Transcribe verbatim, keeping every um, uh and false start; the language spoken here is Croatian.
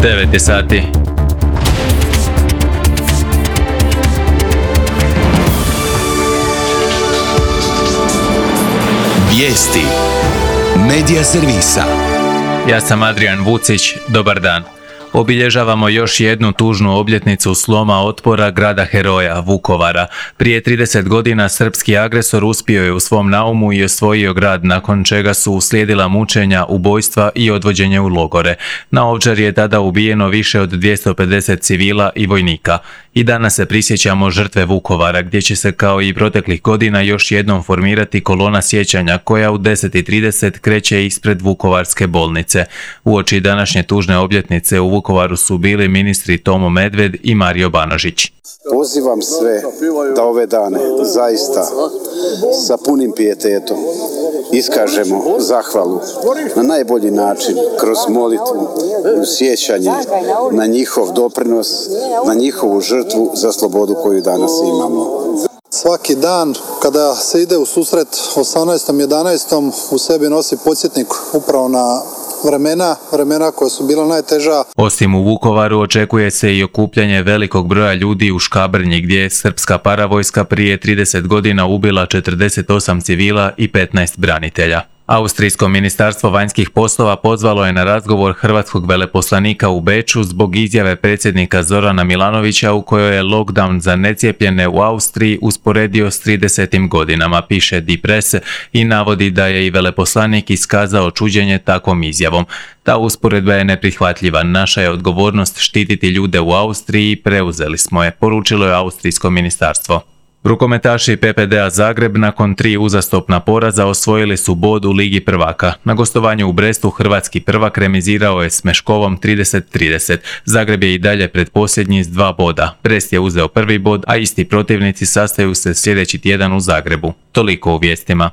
devet je sati. Vijesti Medija servisa. Ja sam Adrian Vucić, dobar dan. Obilježavamo još jednu tužnu obljetnicu sloma otpora grada heroja, Vukovara. Prije trideset godina srpski agresor uspio je u svom naumu i osvojio grad, nakon čega su uslijedila mučenja, ubojstva i odvođenje u logore. Na Ovčari je tada ubijeno više od dvjesto pedeset civila i vojnika. I danas se prisjećamo žrtve Vukovara, gdje će se kao i proteklih godina još jednom formirati kolona sjećanja koja u deset i trideset kreće ispred Vukovarske bolnice. Uoči današnje tužne obljetnice u Vukovaru su bili ministri Tomo Medved i Mario Banožić. Pozivam sve da ove dane zaista sa punim pijetetom iskažemo zahvalu na najbolji način, kroz molitvu, sjećanje na njihov doprinos, na njihovu žrtvu za slobodu koju danas imamo. Svaki dan kada se ide u susret osamnaestom jedanaestom u sebi nosi podsjetnik upravo na vremena, vremena koja su bila najteža. Osim u Vukovaru očekuje se i okupljanje velikog broja ljudi u Škabrnji, gdje je srpska paravojska prije trideset godina ubila četrdeset osam civila i petnaest branitelja. Austrijsko ministarstvo vanjskih poslova pozvalo je na razgovor hrvatskog veleposlanika u Beču zbog izjave predsjednika Zorana Milanovića u kojoj je lockdown za necijepljene u Austriji usporedio s tridesetim godinama, piše Die Presse, i navodi da je i veleposlanik iskazao čuđenje takvom izjavom. Ta usporedba je neprihvatljiva. Naša je odgovornost štititi ljude u Austriji i preuzeli smo je, poručilo je austrijsko ministarstvo. Rukometaši P P D-a Zagreb nakon tri uzastopna poraza osvojili su bod u Ligi prvaka. Na gostovanju u Brestu hrvatski prvak remizirao je s Meškovom trideset trideset. Zagreb je i dalje predposljednji s dva boda. Brest je uzeo prvi bod, a isti protivnici sastaju se sljedeći tjedan u Zagrebu. Toliko u vijestima.